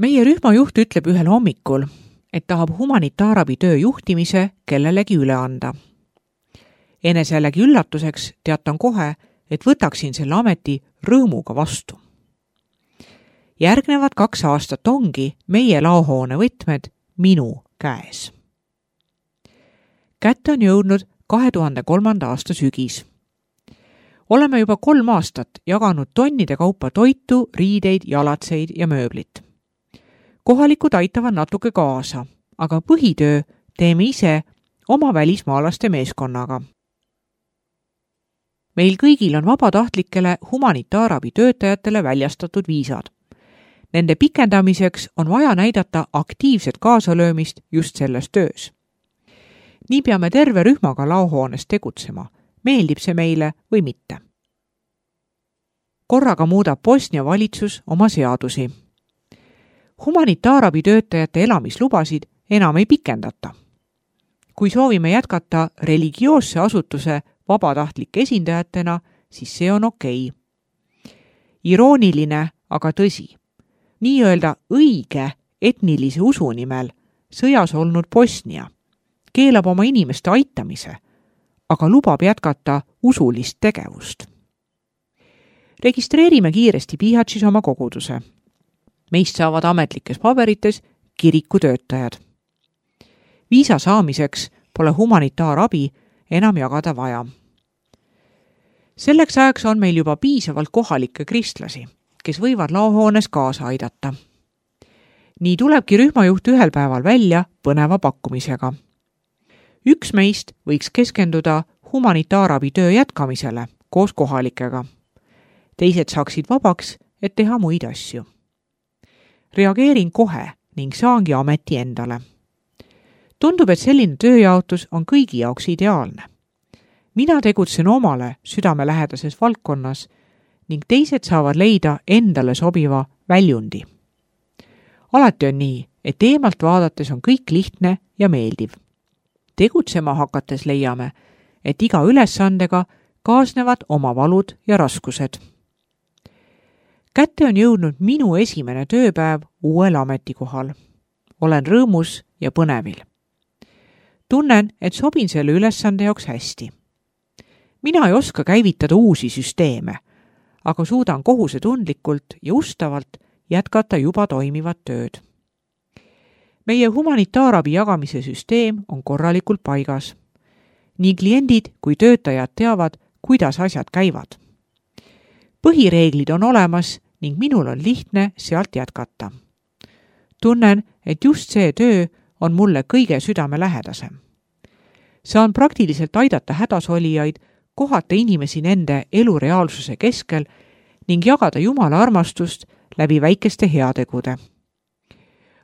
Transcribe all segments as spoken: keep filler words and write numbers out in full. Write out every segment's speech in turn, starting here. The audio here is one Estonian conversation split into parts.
Meie rühmajuht ütleb ühel hommikul, et tahab humanitaarabi töö juhtimise kellelegi üle anda. Enesellegi üllatuseks teatan kohe, et võtaksin selle ameti rõõmuga vastu. Järgnevad kaks aastat ongi meie laohoone võtmed minu käes. Kätte on jõudnud kahe tuhande kolmanda aasta sügis. Oleme juba kolm aastat jaganud tonnide kaupa toitu, riideid, jalatseid ja mööblit. Kohalikud aitavad natuke kaasa, aga põhitöö teeme ise oma välismaalaste meeskonnaga. Meil kõigil on vabatahtlikele humanitaarabi töötajatele väljastatud viisad. Nende pikendamiseks on vaja näidata aktiivset kaasalöömist just selles töös. Nii peame terve rühmaga laohoones tegutsema, meeldib see meile või mitte. Korraga muudab Bosnia valitsus oma seadusi. Humanitaarabi töötajate elamislubasid enam ei pikendata. Kui soovime jätkata religioosse asutuse vabatahtlike esindajatena, siis see on okei. Irooniline, aga tõsi. Nii-öelda õige etnilise usu nimel sõjas olnud Bosnia keelab oma inimeste aitamise, aga lubab jätkata usulist tegevust. Registreerime kiiresti Bihatšis oma koguduse. Meist saavad ametlikes paberites kirikutöötajad. Viisa saamiseks pole humanitaarabi enam jagada vaja. Selleks ajaks on meil juba piisavalt kohalikke kristlasi, kes võivad laohoones kaasa aidata. Nii tulebki rühmajuht ühel päeval välja põneva pakkumisega. Üks meist võiks keskenduda humanitaarabi töö jätkamisele koos kohalikega. Teised saaksid vabaks, et teha muid asju. Reageerin kohe ning saangi ameti endale. Tundub, et selline tööjaotus on kõigi jaoks ideaalne. Mina tegutsen omale südamelähedases valdkonnas ning teised saavad leida endale sobiva väljundi. Alati on nii, et eemalt vaadates on kõik lihtne ja meeldiv. Tegutsema hakates leiame, et iga ülesandega kaasnevad oma valud ja raskused. Kätte on jõudnud minu esimene tööpäev uuel ametikohal. Olen rõõmus ja põnevil. Tunnen, et sobin selle ülesande jaoks hästi. Mina ei oska käivitada uusi süsteeme, aga suudan kohusetundlikult ja ustavalt jätkata juba toimivat tööd. Meie humanitaarabi jagamise süsteem on korralikult paigas. Nii kliendid kui töötajad teavad, kuidas asjad käivad. Põhireeglid on olemas ning minul on lihtne sealt jätkata. Tunnen, et just see töö on mulle kõige südamelähedasem. Saan praktiliselt aidata hädasolijaid, kohata inimesi nende elureaalsuse keskel ning jagada Jumala armastust läbi väikeste heategude.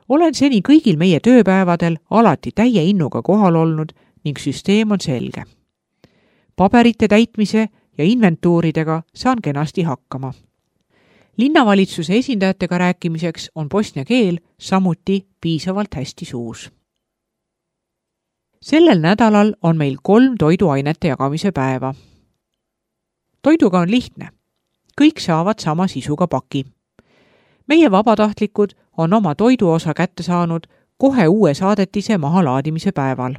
Olen seni kõigil meie tööpäevadel alati täie innuga kohal olnud ning süsteem on selge. Paberite täitmise ja inventuuridega saan kenasti hakkama. Linnavalitsuse esindajatega rääkimiseks on bosnia keel samuti piisavalt hästi suus. Sellel nädalal on meil kolm toiduainete jagamise päeva. Toiduga on lihtne. Kõik saavad sama sisuga paki. Meie vabatahtlikud on oma toiduosa kätte saanud kohe uue saadetise mahalaadimise päeval.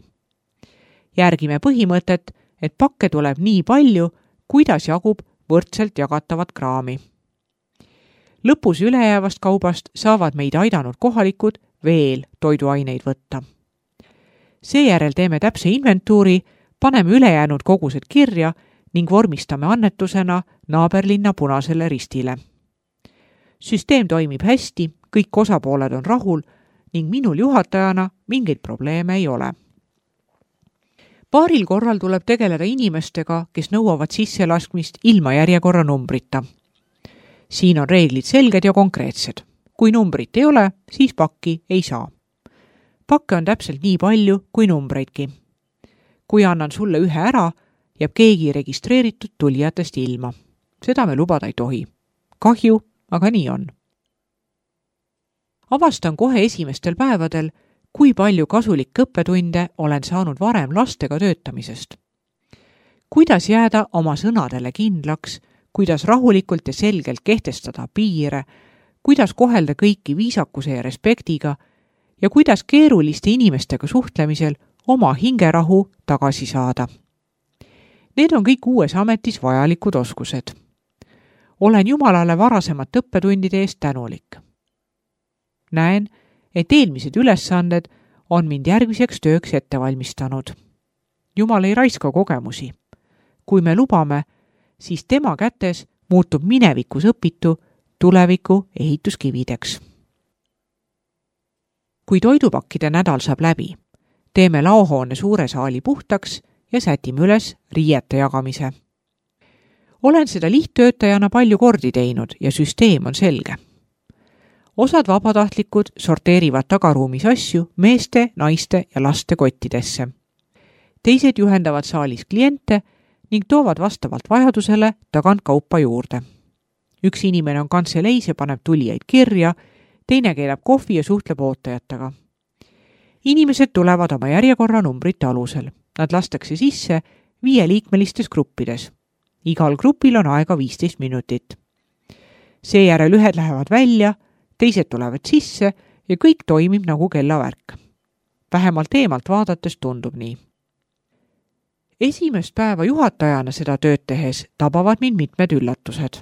Järgime põhimõtet, et pakke tuleb nii palju, kuidas jagub võrdselt jagatavat kraami. Lõpus ülejäävast kaubast saavad meid aidanud kohalikud veel toiduaineid võtta. Seejärel teeme täpse inventuuri, paneme ülejäänud kogused kirja ning vormistame annetusena naaberlinna Punasele Ristile. Süsteem toimib hästi, kõik osapooled on rahul ning minul juhatajana mingeid probleeme ei ole. Paaril korral tuleb tegeleda inimestega, kes nõuavad sisselaskmist ilma järjekorra numbrita. Siin on reeglid selged ja konkreetsed. Kui numbrit ei ole, siis pakki ei saa. Pakke on täpselt nii palju kui numbreidki. Kui annan sulle ühe ära, jääb keegi registreeritud tulijatest ilma. Seda me lubada ei tohi. Kahju, aga nii on. Avastan kohe esimestel päevadel, kui palju kasulik õppetunde olen saanud varem lastega töötamisest. Kuidas jääda oma sõnadele kindlaks, kuidas rahulikult ja selgelt kehtestada piire, kuidas kohelda kõiki viisakuse ja respektiga ja kuidas keeruliste inimestega suhtlemisel oma hingerahu tagasi saada. Need on kõik uues ametis vajalikud oskused. Olen Jumalale varasemat õppetundide eest tänulik. Näen, et eelmised ülesanded on mind järgmiseks tööks ette valmistanud. Jumal ei raiska kogemusi. Kui me lubame, siis tema kätes muutub minevikus õpitu tuleviku ehituskivideks. Kui toidupakkide nädal saab läbi, teeme laohoone suure saali puhtaks ja sätime üles riiete jagamise. Olen seda lihttöötajana palju kordi teinud ja süsteem on selge. Osad vabatahtlikud sorteerivad tagaruumis asju meeste, naiste ja laste kottidesse. Teised juhendavad saalis kliente ning toovad vastavalt vajadusele tagant kaupa juurde. Üks inimene on kantseleis ja paneb tulijaid kirja, teine keelab kohvi ja suhtleb ootajatega. Inimesed tulevad oma järjekorra numbrite alusel. Nad lastakse sisse viieliikmelistes gruppides. Igal grupil on aega viisteist minutit. Seejärel ühed lähevad välja, teised tulevad sisse ja kõik toimib nagu kellavärk. Vähemalt eemalt vaadates tundub nii. Esimest päeva juhatajana seda tööd tehes tabavad mind mitmed üllatused.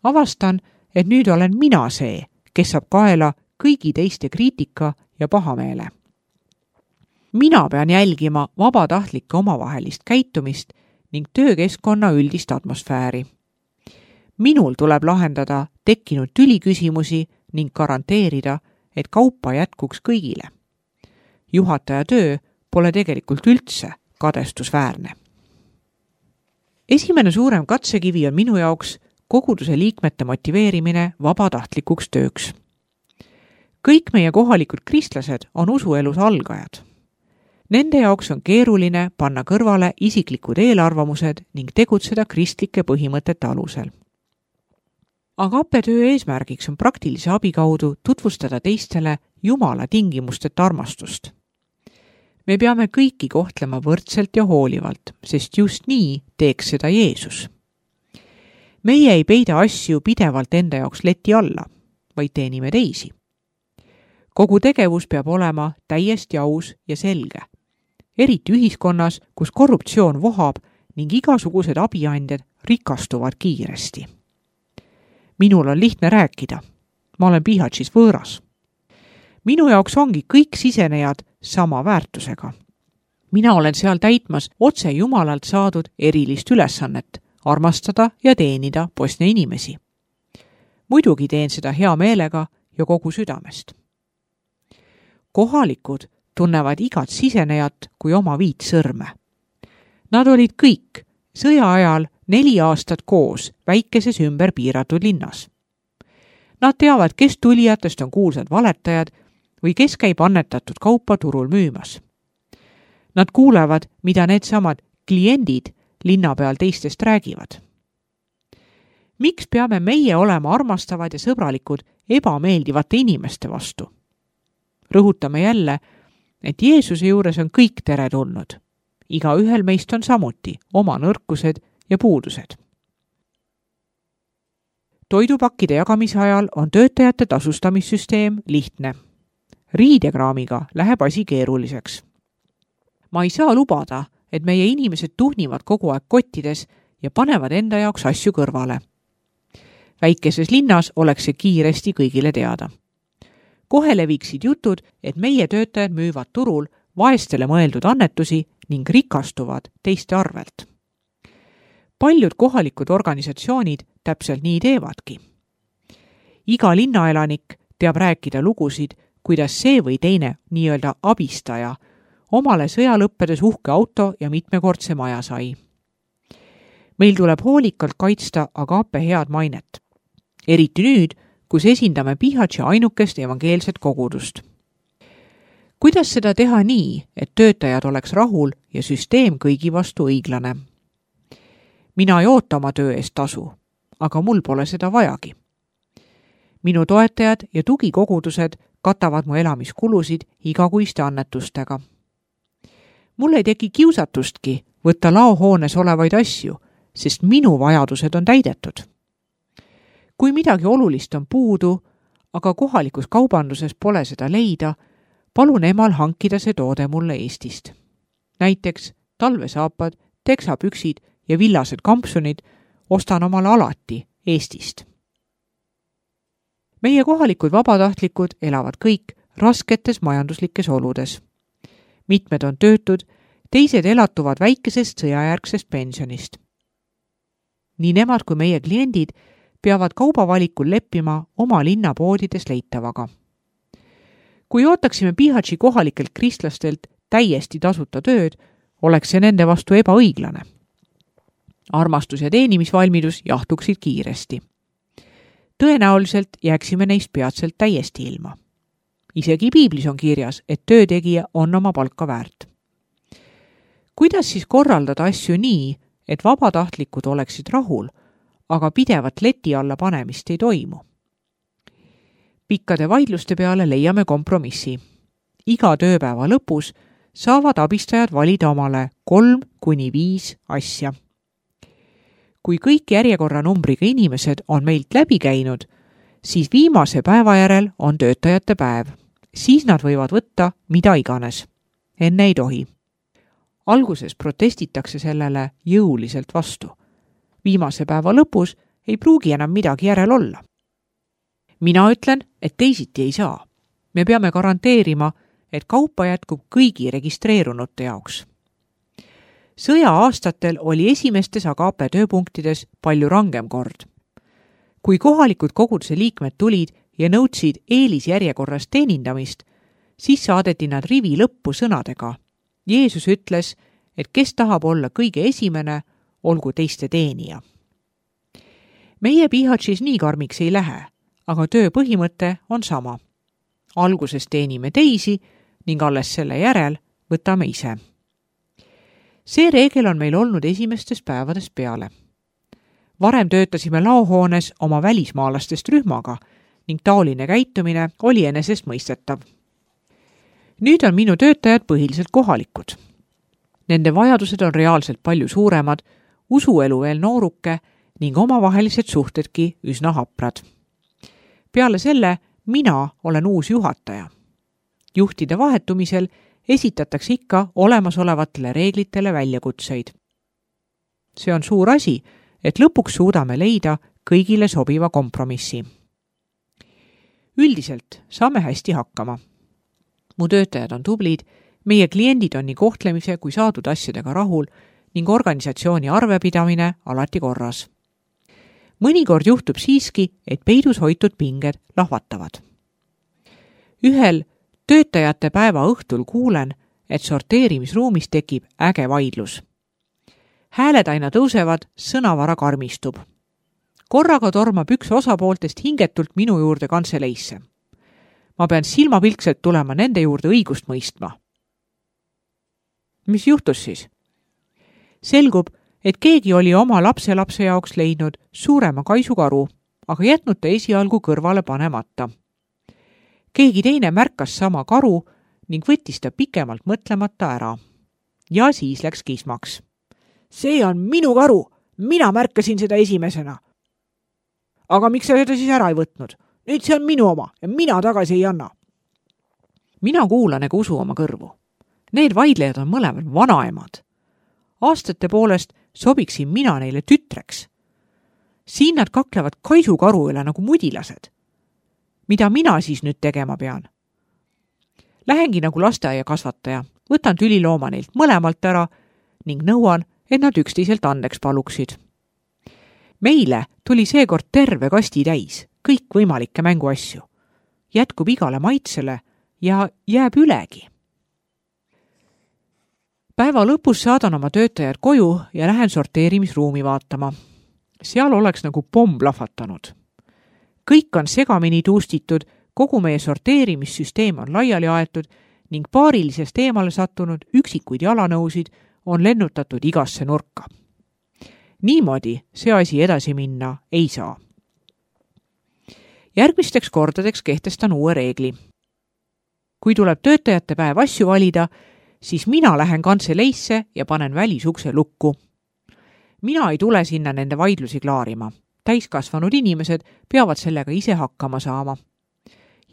Avastan, et nüüd olen mina see, kes saab kaela kõigi teiste kriitika ja pahameele. Mina pean jälgima vabatahtlike omavahelist käitumist ning töökeskkonna üldist atmosfääri. Minul tuleb lahendada tekkinud tüliküsimusi ning garanteerida, et kaupa jätkuks kõigile. Juhataja töö pole tegelikult üldse kadestusväärne. Esimene suurem katsekivi on minu jaoks koguduse liikmete motiveerimine vabatahtlikuks tööks. Kõik meie kohalikud kristlased on usuelus algajad. Nende jaoks on keeruline panna kõrvale isiklikud eelarvamused ning tegutseda kristlike põhimõtete alusel. Agape töö eesmärgiks on praktilise abi kaudu tutvustada teistele Jumala tingimusteta armastust. Me peame kõiki kohtlema võrdselt ja hoolivalt, sest just nii teeks seda Jeesus. Meie ei peida asju pidevalt enda jaoks leti alla, vaid teenime teisi. Kogu tegevus peab olema täiesti aus ja selge. Eriti ühiskonnas, kus korruptsioon vohab ning igasugused abiandjad rikastuvad kiiresti. Minul on lihtne rääkida. Ma olen Pihatšis võõras. Minu jaoks ongi kõik sisenejad sama väärtusega. Mina olen seal täitmas otse Jumalalt saadud erilist ülesannet, armastada ja teenida Bosnia inimesi. Muidugi teen seda hea meelega ja kogu südamest. Kohalikud tunnevad igat sisenejat kui oma viit sõrme. Nad olid kõik sõja ajal neli aastat koos väikeses ümber piiratud linnas. Nad teavad, kes tulijatest on kuulsad valetajad või kes käib annetatud kaupa turul müümas. Nad kuulevad, mida need samad kliendid linna peal teistest räägivad. Miks peame meie olema armastavad ja sõbralikud ebameeldivate inimeste vastu? Rõhutame jälle, et Jeesuse juures on kõik teretulnud. Iga ühel meist on samuti oma nõrkused ja puudused. Toidupakkide jagamise ajal on töötajate tasustamissüsteem lihtne. Riidekraamiga läheb asi keeruliseks. Ma ei saa lubada, et meie inimesed tuhnivad kogu aeg kottides ja panevad enda jaoks asju kõrvale. Väikeses linnas oleks see kiiresti kõigile teada. Kohe leviksid jutud, et meie töötajad müüvad turul vaestele mõeldud annetusi ning rikastuvad teiste arvelt. Paljud kohalikud organisatsioonid täpselt nii teevadki. Iga linnaelanik teab rääkida lugusid, kuidas see või teine nii-öelda abistaja omale sõja lõppedes uhke auto ja mitmekordse maja sai. Meil tuleb hoolikalt kaitsta Agape head mainet. Eriti nüüd, kus esindame Pihatši ainukest evangeelset kogudust. Kuidas seda teha nii, et töötajad oleks rahul ja süsteem kõigi vastu õiglane? Mina ei oota oma töö eest tasu, aga mul pole seda vajagi. Minu toetajad ja tugikogudused katavad mu elamiskulusid igakuiste annetustega. Mul ei teki kiusatustki võtta laohoones olevaid asju, sest minu vajadused on täidetud. kui midagi olulist on puudu, aga kohalikus kaubanduses pole seda leida, palun emal hankida see toode mulle Eestist. Näiteks talvesaapad, teksapüksid ja villased kampsunid ostan omale alati Eestist. Meie kohalikud vabatahtlikud elavad kõik rasketes majanduslikes oludes. Mitmed on töötud, teised elatuvad väikesest sõjajärgsest pensionist. Nii nemad kui meie kliendid peavad kaubavalikul leppima oma linnapoodides leitavaga. Kui ootaksime Bihaći kohalikelt kristlastelt täiesti tasuta tööd, oleks see nende vastu ebaõiglane. Armastus ja teenimisvalmidus jahtuksid kiiresti. Tõenäoliselt jääksime neist peatselt täiesti ilma. Isegi piiblis on kirjas, et töötegija on oma palka väärt. Kuidas siis korraldada asju nii, et vabatahtlikud oleksid rahul, aga pidevat leti alla panemist ei toimu? Pikkade vaidluste peale leiame kompromissi. Iga tööpäeva lõpus saavad abistajad valida omale kolm kuni viis asja. Kui kõik järjekorranumbriga inimesed on meilt läbi käinud, siis viimase päeva järel on töötajate päev. Siis nad võivad võtta mida iganes. Enne ei tohi. Alguses protestitakse sellele jõuliselt vastu. Viimase päeva lõpus ei pruugi enam midagi järel olla. Mina ütlen, et teisiti ei saa. Me peame garanteerima, et kaupa jätkub kõigi registreerunute jaoks. Sõja aastatel oli esimestes Agape tööpunktides palju rangem kord. Kui kohalikud koguduse liikmed tulid ja nõudsid eelisjärjekorras teenindamist, siis saadeti nad rivi lõppu sõnadega. Jeesus ütles, et kes tahab olla kõige esimene, olgu teiste teenija. Meie Bihaćis nii karmiks ei lähe, aga töö põhimõte on sama. Alguses teenime teisi ning alles selle järel võtame ise. See reegel on meil olnud esimestest päevadest peale. Varem töötasime laohoones oma välismaalastest rühmaga ning taoline käitumine oli enesestmõistetav. Nüüd on minu töötajad põhiliselt kohalikud. Nende vajadused on reaalselt palju suuremad, usuelu veel nooruke ning omavahelised suhtedki üsna haprad. Peale selle mina olen uus juhataja. Juhtide vahetumisel esitatakse ikka olemasolevatele reeglitele väljakutseid. See on suur asi, et lõpuks suudame leida kõigile sobiva kompromissi. Üldiselt saame hästi hakkama. Mu töötajad on tublid, meie kliendid on nii kohtlemise kui saadud asjadega rahul ning organisatsiooni arvepidamine alati korras. Mõnikord juhtub siiski, et peidus hoitud pinged lahvatavad. Ühel töötajate päeva õhtul kuulen, et sorteerimisruumis tekib äge vaidlus. Hääled aina tõusevad, sõnavara karmistub. Korraga tormab üks osapooltest hingetult minu juurde kantseleisse. Ma pean silmapilkselt tulema nende juurde õigust mõistma. Mis juhtus siis? Selgub, et keegi oli oma lapselapse jaoks leidnud suurema kaisukaru, aga jätnud ta esialgu kõrvale panemata. Keegi teine märkas sama karu ning võttis ta pikemalt mõtlemata ära. Ja siis läks kismaks. See on minu karu, mina märkasin seda esimesena. Aga miks sa seda siis ära ei võtnud? Nüüd see on minu oma ja mina tagasi ei anna. Mina kuulan ega usu oma kõrvu. Need vaidlejad on mõlemad vanaemad. Aastate poolest sobiksin mina neile tütreks. Siin nad kaklevad kaisukaru üle nagu mudilased. Mida mina siis nüüd tegema pean? Lähengi nagu lasteaia kasvataja, võtan tülilooma neilt mõlemalt ära ning nõuan, et nad üksteiselt andeks paluksid. Meile tuli seekord terve kasti täis, kõik võimalikke mänguasju. Jätkub igale maitsele ja jääb ülegi. Päeva lõpus saadan oma töötajad koju ja lähen sorteerimisruumi vaatama. Seal oleks nagu pomm plahvatanud. Kõik on segamini tuustitud, kogu meie sorteerimissüsteem on laiali aetud ning paarilisest eemale sattunud üksikuid jalanõusid on lennutatud igasse nurka. Niimoodi see asi edasi minna ei saa. Järgmisteks kordadeks kehtestan uue reegli. Kui tuleb töötajate päev asju valida, siis mina lähen kantseleisse ja panen välisukse lukku. Mina ei tule sinna nende vaidlusi klaarima. täiskasvanud inimesed peavad sellega ise hakkama saama.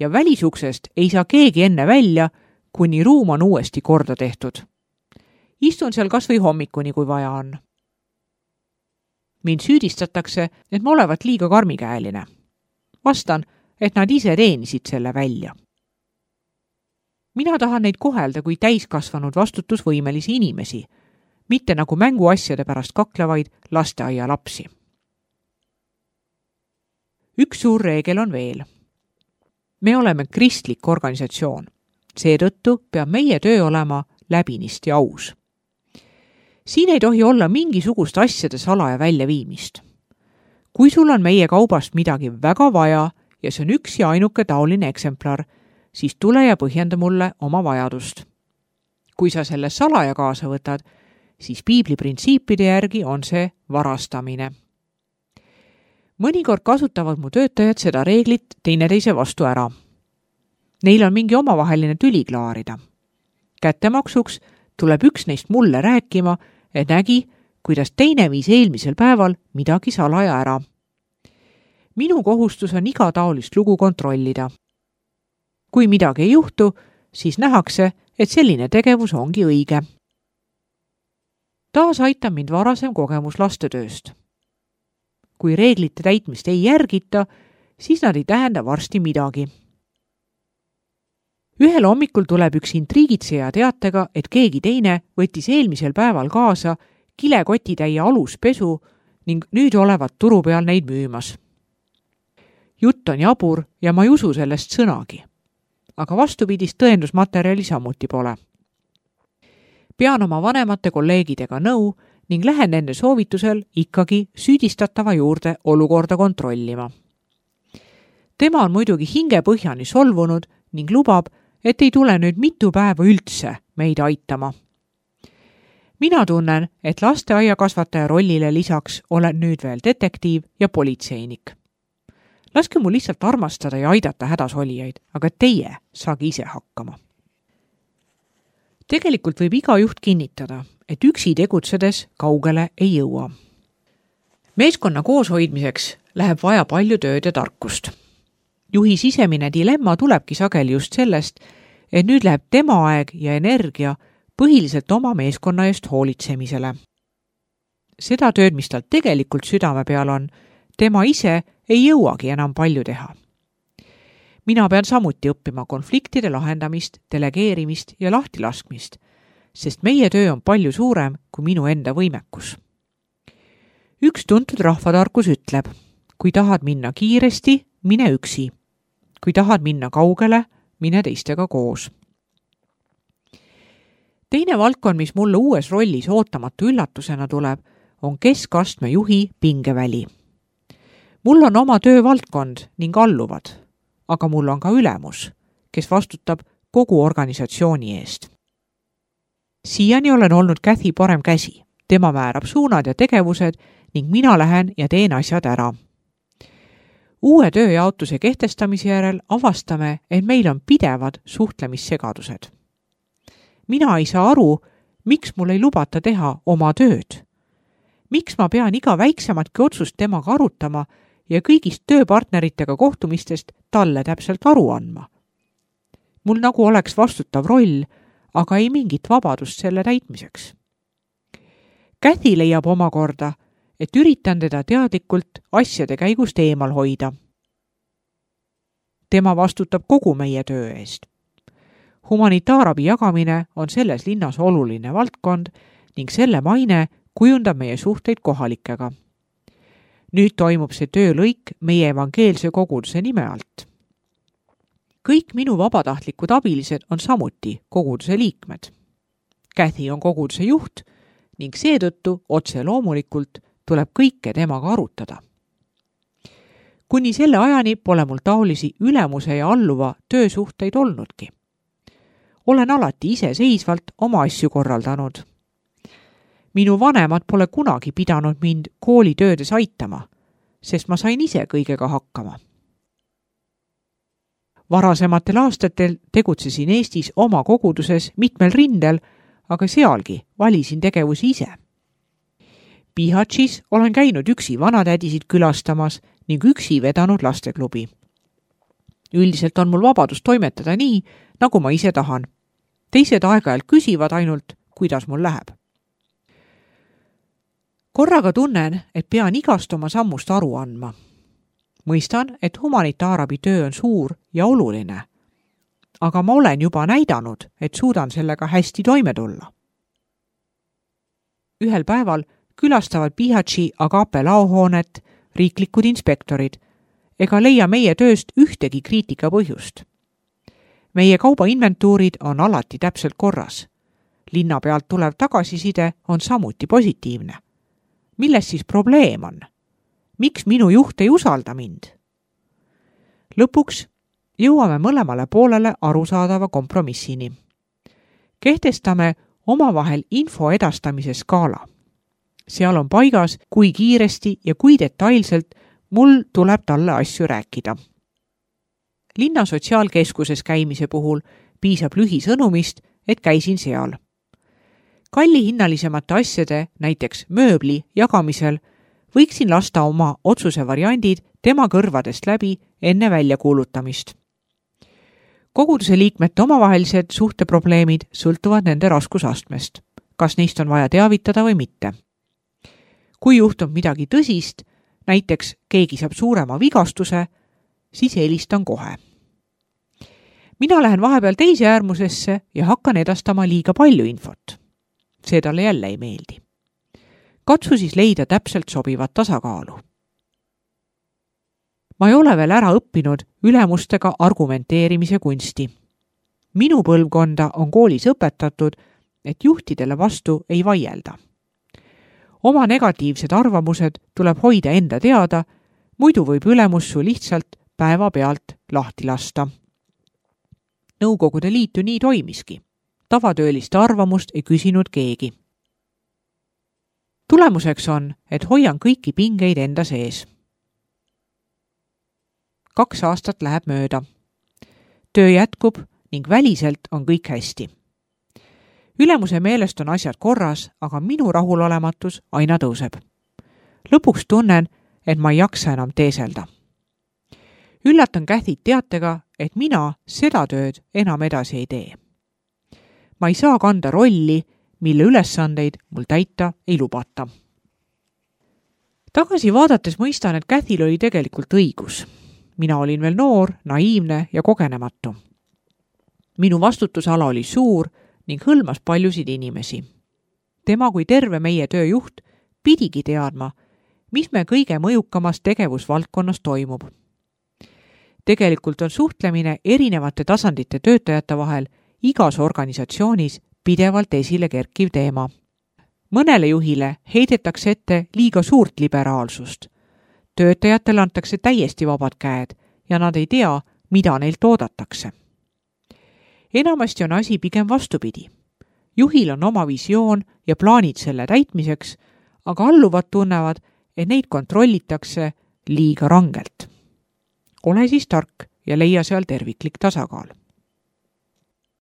Ja välisuksest ei saa keegi enne välja, kuni ruum on uuesti korda tehtud. Istun seal kas või hommikuni, kui vaja on. Mind süüdistatakse, et ma olevat liiga karmikäeline. Vastan, et nad ise teenisid selle välja. Mina tahan neid kohelda kui täiskasvanud vastutusvõimelisi inimesi, mitte nagu mänguasjade pärast kaklevaid lasteaia lapsi. Üks suur reegel on veel. Me oleme kristlik organisatsioon. Seetõttu peab meie töö olema läbinisti aus. Siin ei tohi olla mingisugust asjade salaja väljaviimist. Kui sul on meie kaubast midagi väga vaja ja see on üks ja ainuke taoline eksemplar, siis tule ja põhjenda mulle oma vajadust. Kui sa selle salaja kaasa võtad, siis piibli printsiipide järgi on see varastamine. Mõnikord kasutavad mu töötajad seda reeglit teineteise vastu ära. Neil on mingi omavaheline tüli klaarida. Kättemaksuks tuleb üks neist mulle rääkima, et nägi, kuidas teine viis eelmisel päeval midagi salaja ära. Minu kohustus on iga taolist lugu kontrollida. Kui midagi ei juhtu, siis nähakse, et selline tegevus ongi õige. Taas aitab mind varasem kogemus lastetööst. Kui reeglite täitmist ei järgita, siis nad ei tähenda varsti midagi. Ühel hommikul tuleb üks intriigitseja teatega, et keegi teine võttis eelmisel päeval kaasa kilekotitäie aluspesu ning nüüd olevat turu peal neid müümas. Jutt on jabur ja ma ei usu sellest sõnagi. Aga vastupidist tõendusmaterjali samuti pole. Pean oma vanemate kolleegidega nõu ning lähen nende soovitusel ikkagi süüdistatava juurde olukorda kontrollima. Tema on muidugi hingepõhjani solvunud ning lubab, et ei tule nüüd mitu päeva üldse meid aitama. Mina tunnen, et lasteaiakasvataja rollile lisaks olen nüüd veel detektiiv ja politseinik. Laske mu lihtsalt armastada ja aidata hädasolijaid, aga teie saagi ise hakkama. Tegelikult võib iga juht kinnitada, et üksi tegutsedes kaugele ei jõua. Meeskonna kooshoidmiseks läheb vaja palju tööd ja tarkust. Juhi sisemine dilemma tulebki sageli just sellest, et nüüd läheb tema aeg ja energia põhiliselt oma meeskonna eest hoolitsemisele. Seda tööd, mis tal tegelikult südame peal on, tema ise ei jõuagi enam palju teha. Mina pean samuti õppima konfliktide lahendamist, delegeerimist ja lahtilaskmist, sest meie töö on palju suurem kui minu enda võimekus. Üks tuntud rahvatarkus ütleb, kui tahad minna kiiresti, mine üksi. Kui tahad minna kaugele, mine teistega koos. Teine valdkond, mis mulle uues rollis ootamatu üllatusena tuleb, on keskastme juhi pingeväli. Mul on oma töövaldkond ning alluvad, aga mul on ka ülemus, kes vastutab kogu organisatsiooni eest. Siiani olen olnud Kathy parem käsi. Tema määrab suunad ja tegevused ning mina lähen ja teen asjad ära. Uue tööjaotuse kehtestamise järel avastame, et meil on pidevad suhtlemissegadused. Mina ei saa aru, miks mul ei lubata teha oma tööd. Miks ma pean iga väiksematki otsust temaga arutama ja kõigist tööpartneritega kohtumistest talle täpselt aru andma. Mul nagu oleks vastutav roll, aga ei mingit vabadust selle täitmiseks. Kathy leiab omakorda, et üritan teda teadlikult asjade käigust eemal hoida. Tema vastutab kogu meie töö eest. Humanitaarabi jagamine on selles linnas oluline valdkond ning selle maine kujundab meie suhteid kohalikega. Nüüd toimub see töölõik meie evangeelse koguduse nime alt. Kõik minu vabatahtlikud abilised on samuti koguduse liikmed. Kathy on koguduse juht ning seetõttu otse loomulikult tuleb kõike temaga arutada. Kuni selle ajani pole mul taolisi ülemuse ja alluva töösuhteid olnudki. Olen alati iseseisvalt oma asju korraldanud. Minu vanemad pole kunagi pidanud mind koolitöödes aitama, sest ma sain ise kõigega hakkama. Varasematel aastatel tegutsesin Eestis oma koguduses mitmel rindel, aga sealgi valisin tegevusi ise. Pihatšis olen käinud üksi vanatädisid külastamas ning üksi vedanud lasteklubi. Üldiselt on mul vabadus toimetada nii, nagu ma ise tahan. Teised aeg-ajalt küsivad ainult, kuidas mul läheb. Korraga tunnen, et pean igast oma sammust aru andma. Mõistan, et humanitaarabi töö on suur ja oluline, aga ma olen juba näidanud, et suudan sellega hästi toime tulla. Ühel päeval külastavad Pihatši Agape laohoonet riiklikud inspektorid ega leia meie tööst ühtegi kriitika põhjust. Meie kaubainventuurid on alati täpselt korras. Linna pealt tulev tagasiside on samuti positiivne. Milles siis probleem on? Miks minu juht ei usalda mind? Lõpuks jõuame mõlemale poolele arusaadava kompromissini. Kehtestame omavahel info edastamise skaala. Seal on paigas, kui kiiresti ja kui detailselt mul tuleb talle asju rääkida. Linna sotsiaalkeskuses käimise puhul piisab lühisõnumist, et käisin seal. Kallihinnalisemate asjade, näiteks mööbli jagamisel, võiksin lasta oma otsuse variandid tema kõrvadest läbi enne väljakuulutamist. Koguduse liikmete omavahelised suhteprobleemid sõltuvad nende raskusastmest, kas neist on vaja teavitada või mitte. Kui juhtub midagi tõsist, näiteks keegi saab suurema vigastuse, siis helistan kohe. Mina lähen vahepeal teise äärmusesse ja hakkan edastama liiga palju infot. See talle jälle ei meeldi. Katsu siis leida täpselt sobivat tasakaalu. Ma ei ole veel ära õppinud ülemustega argumenteerimise kunsti. Minu põlvkonda on koolis õpetatud, et juhtidele vastu ei vaielda. Oma negatiivsed arvamused tuleb hoida enda teada, muidu võib ülemus su lihtsalt päeva pealt lahti lasta. Nõukogude liitu nii toimiski. Tavatööliste arvamust ei küsinud keegi. Tulemuseks on, et hoian kõiki pingeid enda sees. Kaks aastat läheb mööda. Töö jätkub ning väliselt on kõik hästi. Ülemuse meelest on asjad korras, aga minu rahulolematus aina tõuseb. Lõpuks tunnen, et ma ei jaksa enam teeselda. Üllatan Käthit teatega, et mina seda tööd enam edasi ei tee. Ma ei saa kanda rolli, mille ülesandeid mul täita ei lubata. Tagasi vaadates mõistan, et Käthil oli tegelikult õigus. Mina olin veel noor, naiivne ja kogenematu. Minu vastutusala oli suur ning hõlmas paljusid inimesi. Tema kui terve meie tööjuht pidigi teadma, mis me kõige mõjukamas tegevusvaldkonnas toimub. Tegelikult on suhtlemine erinevate tasandite töötajate vahel igas organisatsioonis pidevalt esile kerkiv teema. Mõnele juhile heidetakse ette liiga suurt liberaalsust. Töötajatele antakse täiesti vabad käed ja nad ei tea, mida neilt oodatakse. Enamasti on asi pigem vastupidi. Juhil on oma visioon ja plaanid selle täitmiseks, aga alluvad tunnevad, et neid kontrollitakse liiga rangelt. Ole siis tark ja leia seal terviklik tasakaal.